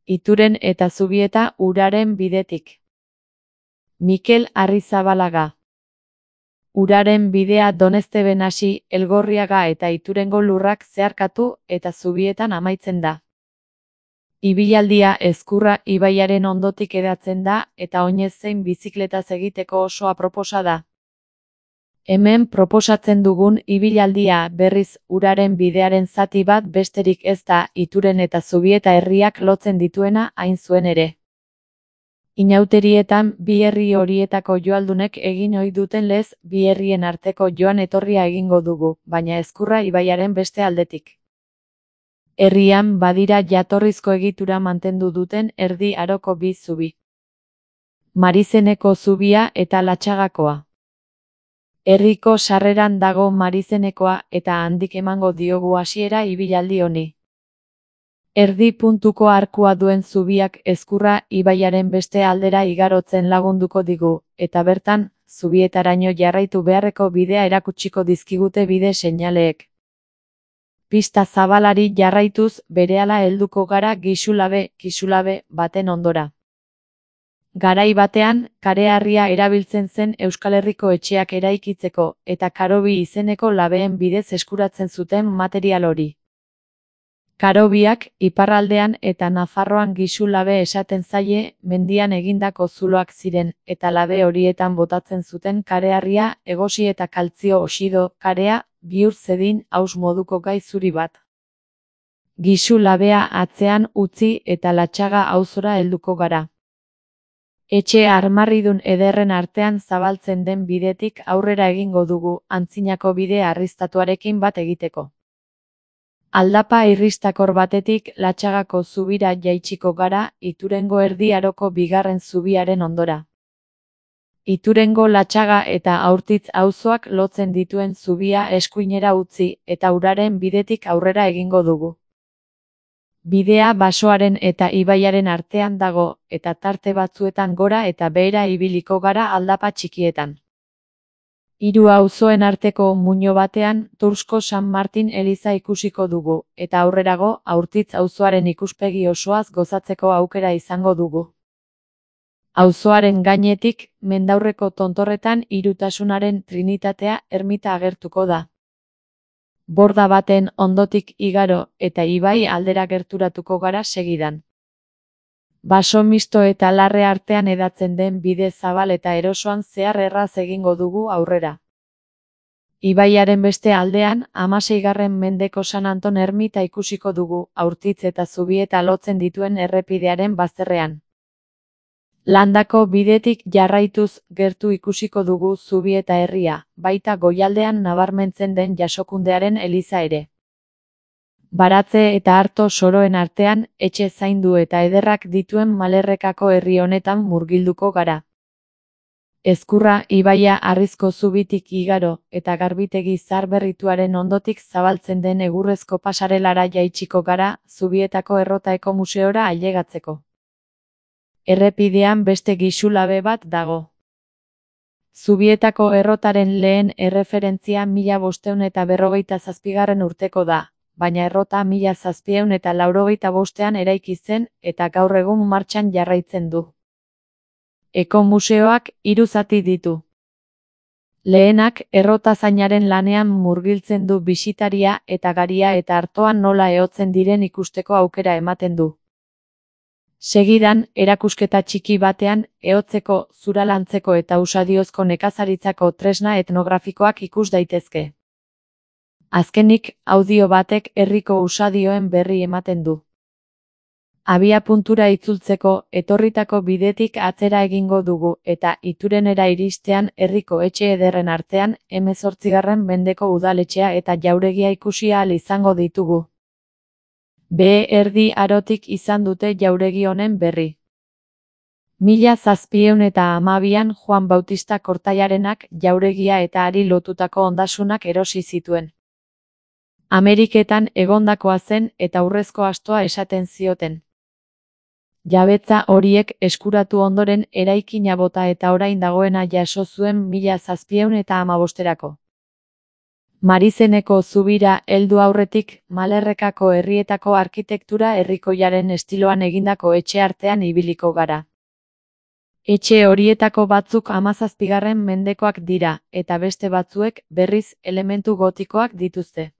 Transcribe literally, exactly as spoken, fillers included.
Ituren eta Zubieta uraren bidetik. Mikel Arrizabalaga. Uraren bidea Donezteben hasi, Elgorriaga eta Iturengo lurrak zeharkatu eta Zubietan amaitzen da. Ibilaldia Ezkurra ibaiaren ondotik edatzen da eta oinez zein bizikletaz egiteko oso aproposa da. Hemen proposatzen dugun ibilaldia berriz uraren bidearen zati bat besterik ez da Ituren eta Zubieta herriak lotzen dituena hain zuen ere. Inauterietan bi herri horietako joaldunek egin ohi duten lez bi herrien arteko joan etorria egingo dugu, baina Ezkurra ibaiaren beste aldetik. Herrian badira jatorrizko egitura mantendu duten erdi aroko bi zubi. Marizeneko zubia eta Latxagakoa. Herriko sarreran dago Marizenekoa eta handik emango diogu hasiera ibilaldi honi. Erdi puntuko arkua duen zubiak Ezkurra ibaiaren beste aldera igarotzen lagunduko digu, eta bertan, Zubietaraino jarraitu beharreko bidea erakutsiko dizkigute bide seinaleek. Pista zabalari jarraituz berehala helduko gara Gixulabe, Kixulabe baten ondora. Garai batean, kareharria erabiltzen zen Euskal Herriko etxeak eraikitzeko, eta karobi izeneko labeen bidez eskuratzen zuten material hori. Karobiak, iparraldean eta Nafarroan Gixulabe esaten zaie, mendian egindako zuloak ziren, eta labe horietan botatzen zuten kareharria, egosi eta kaltzio oxido, karea, bihur zedin haus moduko gai zuri bat. Gixulabea atzean utzi eta Latxaga auzora helduko gara. Etxe armarridun ederren artean zabaltzen den bidetik aurrera egingo dugu, antzinako bide arriztatuarekin bat egiteko. Aldapa irristakor batetik Latxagako zubira jaitsiko gara, Iturengo erdi aroko bigarren zubiaren ondora. Iturengo Latxaga eta Aurtitz auzoak lotzen dituen zubia eskuinera utzi eta uraren bidetik aurrera egingo dugu. Bidea basoaren eta ibaiaren artean dago, eta tarte batzuetan gora eta behera ibiliko gara aldapa txikietan. Hiru auzoen arteko muino batean Tursko San Martin eliza ikusiko dugu, eta aurrerago Aurtitz auzoaren ikuspegi osoaz gozatzeko aukera izango dugu. Auzoaren gainetik, mendaurreko tontorretan Hirutasunaren Trinitatea ermita agertuko da. Borda baten ondotik igaro eta ibai aldera gerturatuko gara segidan. Baso misto eta larre artean edatzen den bide zabal eta erosoan zehar erraz egingo dugu aurrera. Ibaiaren beste aldean, hamaseigarren mendeko San Anton ermita ikusiko dugu, Aurtitz eta Zubieta lotzen dituen errepidearen bazterrean. Landako bidetik jarraituz gertu ikusiko dugu Zubieta herria, baita goialdean nabarmentzen den Jasokundearen eliza ere. Baratze eta Arto soroen artean, etxe zaindu eta ederrak dituen Malerrekako herri honetan murgilduko gara. Ezkurra ibaia Harrizko zubitik igaro eta garbitegi zaharberrituaren ondotik zabaltzen den egurrezko pasarelara jaitsiko gara, Zubietako Errotaeko museora ailegatzeko. Errepidean beste Gixulabe bat dago. Zubietako errotaren lehen erreferentzia mila bostehun eta berrogeita zazpigarren urteko da, baina errota mila zazpiehun eta laurogeita bostean eraiki zen eta gaur egun martxan jarraitzen du. Eko museoak hiru zati ditu. Lehenak errotazainaren lanean murgiltzen du bisitaria eta garia eta artoan nola ehotzen diren ikusteko aukera ematen du. Segidan, erakusketa txiki batean, ehotzeko, zuralantzeko eta usadiozko nekazaritzako tresna etnografikoak ikus daitezke. Azkenik, audio batek herriko usadioen berri ematen du. Abiapuntura itzultzeko, etorritako bidetik atzera egingo dugu, eta Iturenera iristean herriko etxe ederren artean, hemezortzigarren mendeko udaletxea eta jauregia ikusi ahal izango ditugu. Behe erdi arotik izan dute jauregi honen berri. Mila zazpiehun eta hamabian Juan Bautista Kortailarenak jauregia eta hari lotutako ondasunak erosi zituen. Ameriketan egondakoa zen eta urrezko astoa esaten zioten. Jabetza horiek eskuratu ondoren eraikina bota eta orain dagoena jaso zuen mila zazpiehun eta hamabosterako. Marizeneko zubira heldu aurretik, Malerrekako herrietako arkitektura herrikoiaren estiloan egindako etxe artean ibiliko gara. Etxe horietako batzuk hamazazpigarren mendekoak dira, eta beste batzuek, berriz, elementu gotikoak dituzte.